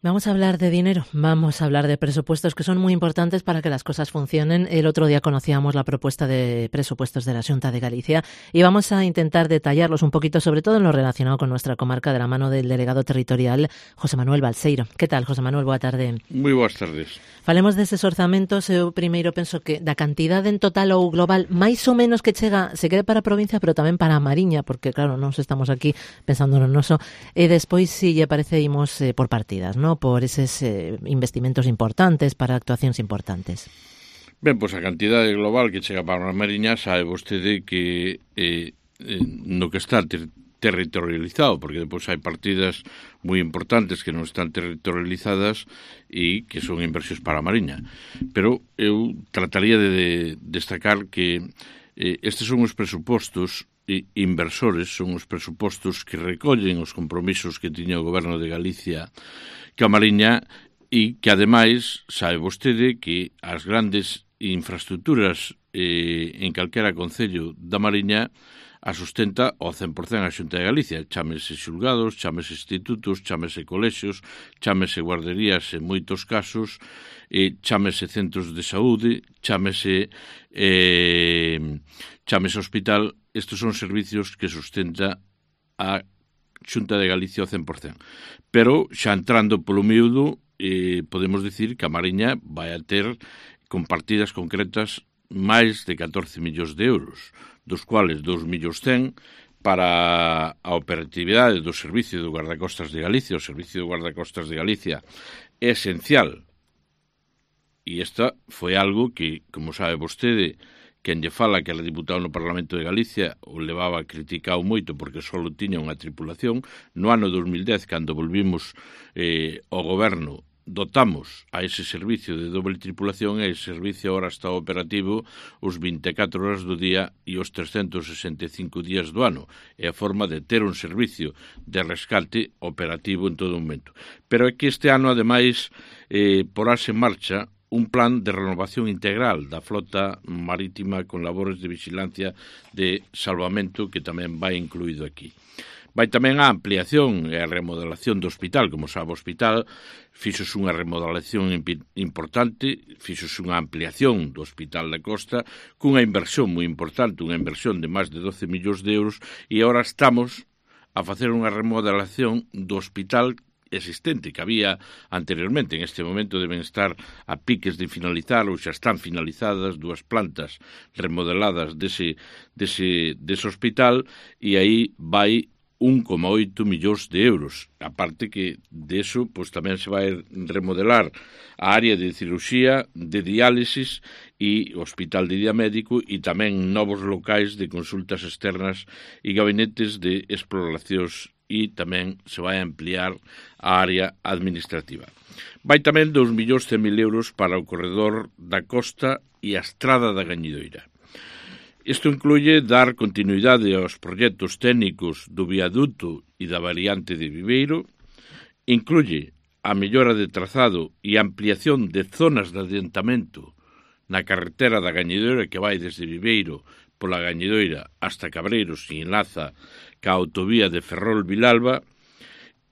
Vamos a hablar de dinero, vamos a hablar de presupuestos que son muy importantes para que las cosas funcionen. El otro día conocíamos la propuesta de presupuestos de la Xunta de Galicia y vamos a intentar detallarlos un poquito, sobre todo en lo relacionado con nuestra comarca, de la mano del delegado territorial, José Manuel Balseiro. Que tal, José Manuel? Boa tarde. Moi boas tardes. Falemos deses orzamentos. Eu primeiro penso que da cantidade en total ou global máis ou menos que chega, se quede para a provincia, pero tamén para a Mariña, porque claro, nós estamos aquí pensando no noso, e despois si lle parece imos por partidas, ¿no? Por eses investimentos importantes, para actuacións importantes. Ben, pois a cantidade global que chega para a Mariña sabe vostede que no que está territorializado, porque depois hai partidas moi importantes que non están territorializadas e que son inversións para a Mariña. Pero eu trataría de destacar que estes son os presupostos inversores, son os presupostos que recollen os compromisos que tiña o Goberno de Galicia que a Mariña e que, ademais, sabe vostede que as grandes infraestructuras en calquera concello da Mariña a sustenta ao 100% a Xunta de Galicia. Chámese xulgados, chámese institutos, chámese colexios, chámese guarderías en moitos casos, chámese centros de saúde, chámese hospital. Estes son servicios que sustenta a Xunta de Galicia ao 100%. Pero, xa entrando polo miúdo, podemos dicir que a Mariña vai a ter, con partidas concretas, máis de 14 millóns de euros, dos cuales 2 millóns 100 para a operatividade do Servicio do Guardacostas de Galicia. O Servicio do Guardacostas de Galicia é esencial. E esta foi algo que, como sabe vostede, quen lle fala que era diputado no Parlamento de Galicia o levaba criticado moito porque só tiña unha tripulación. No ano 2010, cando volvimos ao goberno, dotamos a ese servicio de doble tripulación e ese servicio agora está operativo os 24 horas do día e os 365 días do ano. É a forma de ter un servicio de rescate operativo en todo momento. Pero é que este ano, ademais, porase en marcha un plan de renovación integral da flota marítima con labores de vigilancia de salvamento que tamén vai incluído aquí. Vai tamén a ampliación e a remodelación do hospital. Como sabe, o hospital fixose unha remodelación importante, fixose unha ampliación do Hospital da Costa cunha inversión moi importante, unha inversión de máis de 12 millóns de euros, e agora estamos a facer unha remodelación do hospital existente que había anteriormente. En este momento deben estar a piques de finalizar ou xa están finalizadas 2 plantas remodeladas dese hospital, e aí vai 1,8 millóns de euros. A parte que deso, pois tamén se vai remodelar a área de cirurxía, de diálisis e o hospital de día médico, e tamén novos locais de consultas externas e gabinetes de exploracións, e tamén se vai ampliar a área administrativa. Vai tamén 2.100.000 euros para o corredor da costa e a estrada da Gañidoira. Isto incluye dar continuidade aos proxectos técnicos do viaduto e da variante de Viveiro, incluye a mellora de trazado e ampliación de zonas de adentamento na carretera da Gañidoira que vai desde Viveiro pola Gañidoira hasta Cabreiros e enlaza ca autovía de Ferrol-Vilalba,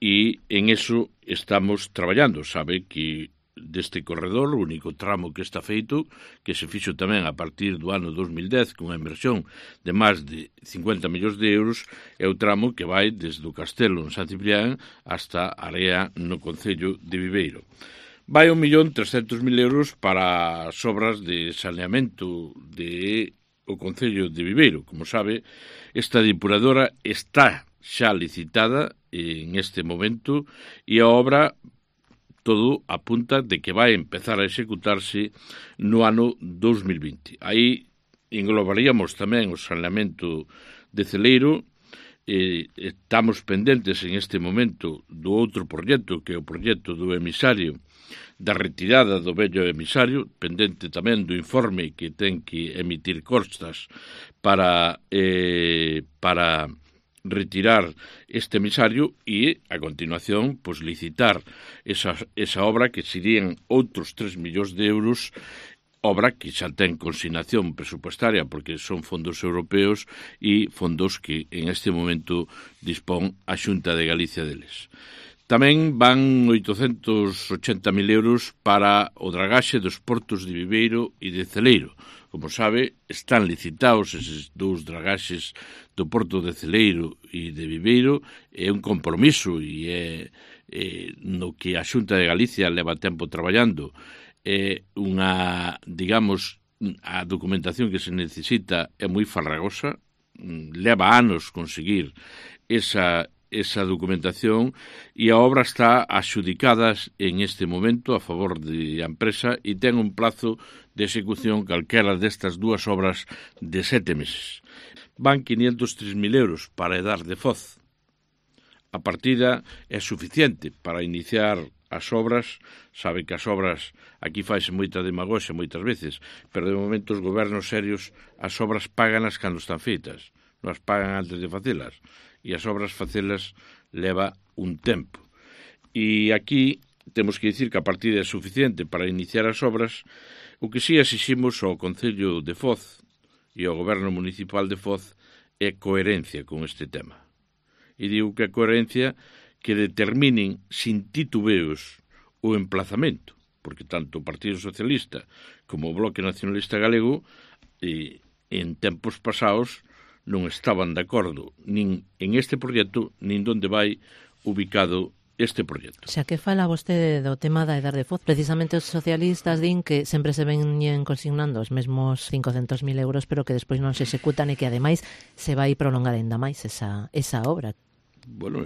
e en eso estamos traballando. Sabe que deste corredor, o único tramo que está feito, que se fixo tamén a partir do ano 2010 con unha inversión de máis de 50 millóns de euros, é o tramo que vai desde o Castelo en San Ciprián hasta Area no concello de Viveiro. Vai 1.300.000 euros para as obras de saneamento de o concello de Viveiro. Como sabe, esta depuradora está xa licitada en este momento e a obra todo apunta de que vai empezar a executarse no ano 2020. Aí englobaríamos tamén o saneamento de Celeiro. Estamos pendentes en este momento do outro proxecto, que é o proxecto do emisario, da retirada do vello emisario, pendente tamén do informe que ten que emitir Costas para retirar este emisario e, a continuación, pues, licitar esa obra que serían outros 3 millóns de euros, obra que xa ten consignación presupuestaria porque son fondos europeos e fondos que en este momento dispón a Xunta de Galicia deles. Tamén van 880.000 euros para o dragaxe dos portos de Viveiro e de Celeiro. Como sabe, están licitados eses dous dragaxes do porto de Celeiro e de Viveiro. É un compromiso e é no que a Xunta de Galicia leva tempo traballando. É unha, digamos, a documentación que se necesita é moi farragosa, leva anos conseguir esa documentación e a obra está adxudicada en este momento a favor da empresa e ten un plazo de execución calquera destas dúas obras de 7 meses. Van 503.000 euros para Edar de Foz. A partida é suficiente para iniciar as obras. Sabe que as obras, aquí faise moita demagoxia moitas veces, pero de momento os gobernos serios as obras páganas cando están feitas, non as pagan antes de facelas. E as obras facelas leva un tempo. E aquí temos que dicir que a partida é suficiente para iniciar as obras. O que si exiximos ao Concello de Foz e ao Goberno Municipal de Foz é coherencia con este tema. E digo que a coherencia que determinen sin titubeos o emplazamento, porque tanto o Partido Socialista como o Bloque Nacionalista Galego en tempos pasados non estaban de acordo nin en este proxecto, nin onde vai ubicado este proxecto. Xa que fala vostede do tema da Edar de Foz, precisamente os socialistas din que sempre se veñen consignando os mesmos 500.000 euros, pero que despois non se executan e que ademais se vai prolongar ainda máis esa obra. Bueno,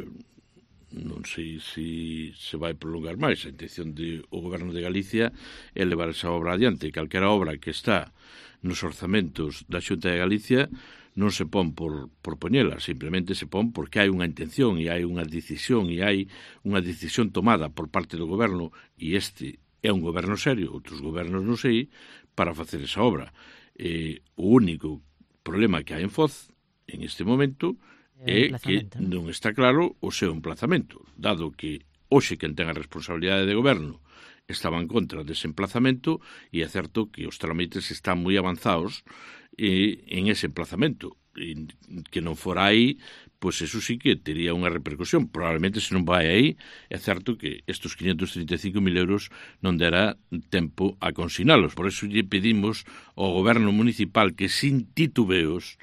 non sei se se vai prolongar máis. A intención do Goberno de Galicia é levar esa obra adiante. Calquera obra que está nos orzamentos da Xunta de Galicia non se pon por poñela, simplemente se pon porque hai unha intención e hai unha decisión e hai unha decisión tomada por parte do goberno, e este é un goberno serio, outros gobernos non sei, para facer esa obra. O único problema que hai en Foz en este momento é que non está claro o seu emplazamento, dado que hoxe quen ten a responsabilidade de goberno estaba en contra dese emplazamento, e é certo que os trámites están moi avanzados en ese emplazamento, e que non fora aí, pois eso sí que tería unha repercusión. Probablemente se non vai aí, é certo que estes 535.000 euros non dará tempo a consignalos. Por eso lle pedimos ao Goberno Municipal que sin titubeos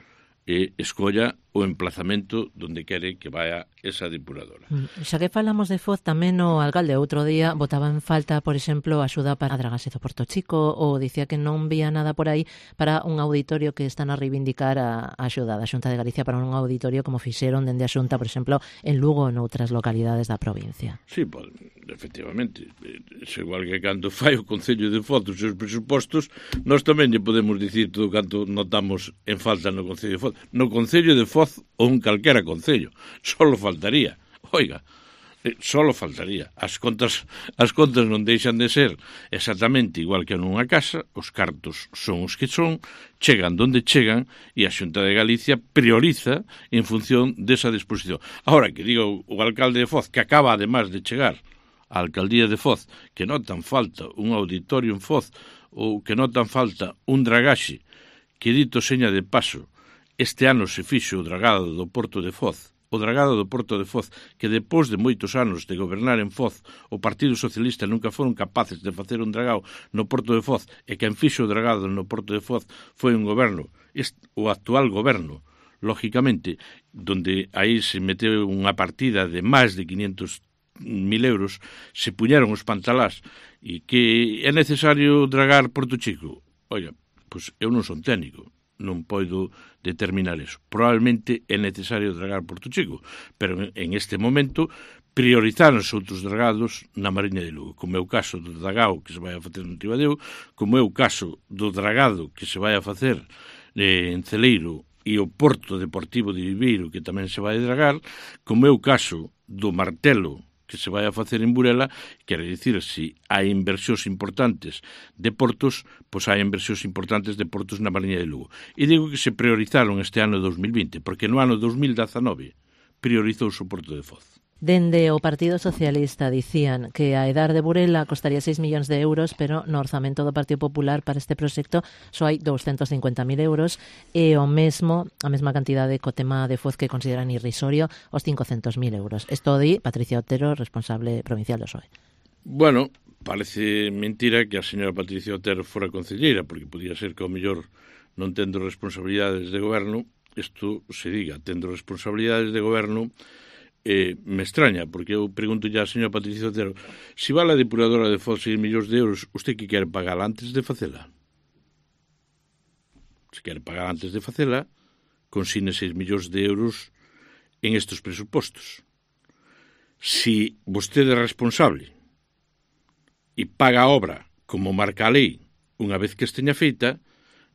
escolla o emplazamento donde quere que vaya esa depuradora. Xa que falamos de Foz, tamén o alcalde outro día botaba en falta, por exemplo, a axuda para a dragaxe do Porto Chico, ou dicía que non vía nada por aí para un auditorio que están a reivindicar a axuda da Xunta de Galicia para un auditorio como fixeron dende a Xunta, por exemplo, en Lugo ou noutras localidades da provincia. Sí, pues, efectivamente, é igual que cando fai o Concello de Foz os seus presupostos, nós tamén lle podemos dicir todo canto notamos en falta no Concello de Foz. No Concello de Foz ou un calquera concello, solo faltaría. Oiga, solo faltaría. As contas non deixan de ser exactamente igual que nunha casa, os cartos son os que son, chegan donde chegan, e a Xunta de Galicia prioriza en función desa disposición. Ahora, que diga o alcalde de Foz, que acaba además de chegar á alcaldía de Foz, que notan falta un auditorio en Foz, ou que notan falta un dragaxe, que dito seña de paso, este ano se fixo o dragado do Porto de Foz, o dragado do Porto de Foz, que depois de moitos anos de gobernar en Foz, o Partido Socialista nunca foron capaces de facer un dragado no Porto de Foz, e quen fixo o dragado no Porto de Foz foi un goberno, o actual goberno, lógicamente, donde aí se meteu unha partida de máis de 500.000 euros, se puñeron os pantalás, e que é necesario dragar Porto Chico. Oiga, pois eu non son técnico, non podo determinar eso. Probablemente é necesario dragar Porto Chico, pero en este momento priorizaron outros dragados na Mariña de Lugo, como é o caso do dragado que se vai a facer no Tibadeo, como é o caso do dragado que se vai a facer en Celeiro e o Porto Deportivo de Viveiro, que tamén se vai a dragar, como é o caso do Martelo, que se vai a facer en Burela. Quere dicir, se hai inversións importantes de portos, pois hai inversións importantes de portos na Mariña de Lugo. E digo que se priorizaron este ano 2020, porque no ano 2019 priorizouse o Porto de Foz. Dende o Partido Socialista dicían que a edar de Burela costaría 6 millóns de euros, pero no orzamento do Partido Popular para este proxecto só hai 250.000 euros e a mesma cantidade co tema de Foz que consideran irrisorio os 500.000 euros. Isto di Patricia Otero, responsable provincial do PSOE. Bueno, parece mentira que a señora Patricia Otero fora concelleira, porque podía ser que ao mellor non tendo responsabilidades de goberno, isto se diga, tendo responsabilidades de goberno, me extraña, porque eu pregunto ya a señora Patricia Otero, si vale a depuradora de Foz 6 millóns de euros, usted que quere pagar antes de facela? Se quere pagar antes de facela, consigne 6 millóns de euros en estes presupostos. Si vostede é responsable e paga a obra como marca a lei unha vez que esteña feita,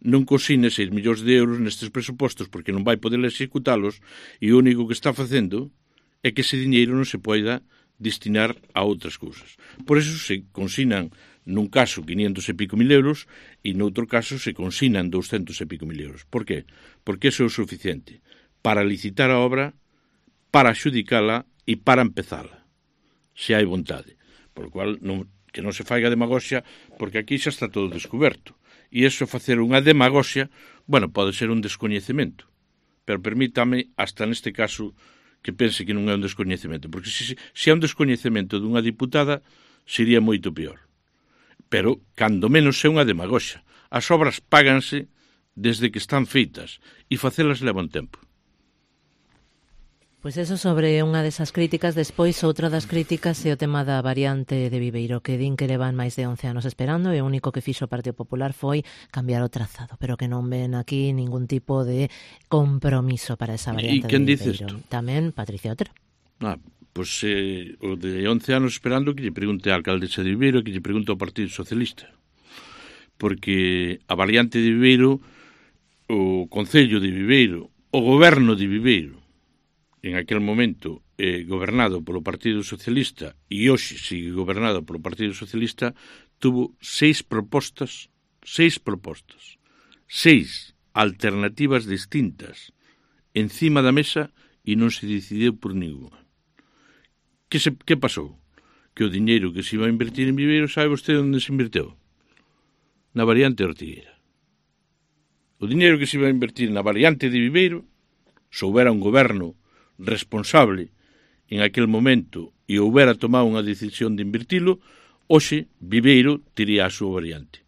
non consigne 6 millóns de euros nestes presupostos porque non vai poder executalos e o único que está facendo é que ese diñeiro non se poida destinar a outras cousas. Por eso se consignan nun caso 500 e pico mil euros e noutro caso se consignan 200 e pico mil euros. Por qué? Porque eso é o suficiente para licitar a obra, para adxudicala e para empezala, se hai vontade. Por lo cual, que non se faiga demagoxia, porque aquí xa está todo descoberto. E iso facer unha demagoxia, bueno, pode ser un descoñecemento, pero permítame, hasta neste caso, que pense que non é un descoñecemento, porque se é un descoñecemento dunha diputada, sería moito peor. Pero, cando menos, é unha demagoxa. As obras páganse desde que están feitas e facelas leva un tempo. Pois eso sobre unha desas críticas. Despois, outra das críticas é o tema da variante de Viveiro, que din que levan máis de 11 anos esperando e o único que fixo o Partido Popular foi cambiar o trazado, pero que non ven aquí ningún tipo de compromiso para esa variante de Viveiro. E quen dice isto? Tamén Patricia Otero. Pois o de 11 anos esperando que lle pregunte a alcaldesa de Viveiro, que lle pregunte ao Partido Socialista. Porque a variante de Viveiro, o Concello de Viveiro, o Goberno de Viveiro, en aquel momento gobernado polo Partido Socialista e hoxe sigue gobernado polo Partido Socialista, tuvo 6 propostas, 6 alternativas distintas encima da mesa e non se decidiu por ninguna. Que pasou? Que o diñeiro que se iba a invertir en Viveiro, sabe vostede onde se inverteu? Na variante Ortigueira. O diñeiro que se iba a invertir na variante de Viveiro, se houbera un goberno responsable en aquel momento e houbera tomado unha decisión de invertilo, hoxe Viveiro tería a súa variante.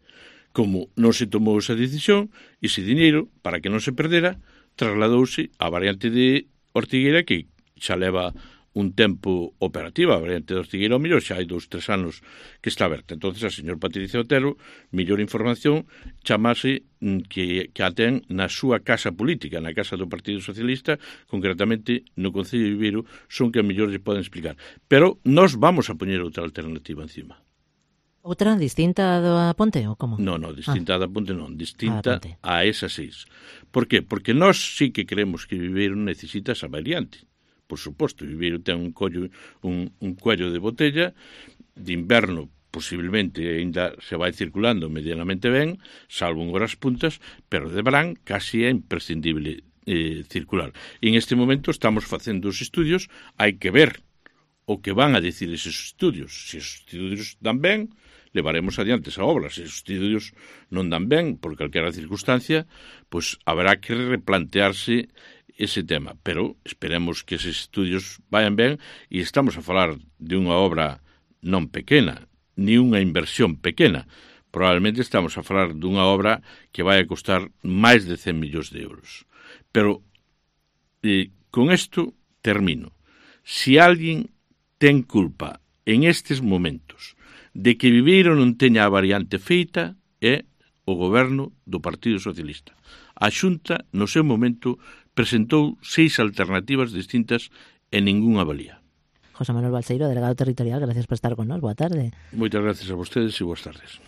Como non se tomou esa decisión, ese diñeiro, para que non se perdera, trasladouse á variante de Ortigueira, que xa leva un tempo operativa. A variante de Ortigueira, ao mellor, xa hai 2-3 anos que está aberta. Entonces, a señor Patricia Otero, mellor información, chamase que a ten na súa casa política, na casa do Partido Socialista, concretamente no Concello de Viveiro, son que a mellor lle poden explicar. Pero nós vamos a poñer outra alternativa encima. Outra distinta da Ponte, ou como? Non, distinta da Ponte non, distinta a esas 6. Por qué? Porque nós sí que creemos que Viveiro necesita esa variante. Por suposto, Viveiro ten un cuello de botella, de inverno posiblemente ainda se vai circulando medianamente ben, salvo en horas puntas, pero de verán casi é imprescindible circular. E en este momento estamos facendo os estudios, hai que ver o que van a decir eses estudios. Se os estudios dan ben, levaremos adiante esa obra. Se os estudios non dan ben, por calquera circunstancia, pois haberá que replantearse ese tema, pero esperemos que eses estudios vayan ben e estamos a falar de unha obra non pequena, ni unha inversión pequena. Probablemente estamos a falar dunha obra que vai a costar máis de 100 millóns de euros. Pero con isto termino. Si alguén ten culpa en estes momentos de que Viveiro non teña a variante feita, é o goberno do Partido Socialista. A Xunta, no seu momento, presentou 6 alternativas distintas e ningunha valía. José Manuel Balseiro, delegado territorial, gracias por estar con nós. Boa tarde. Moitas gracias a vostedes e boas tardes.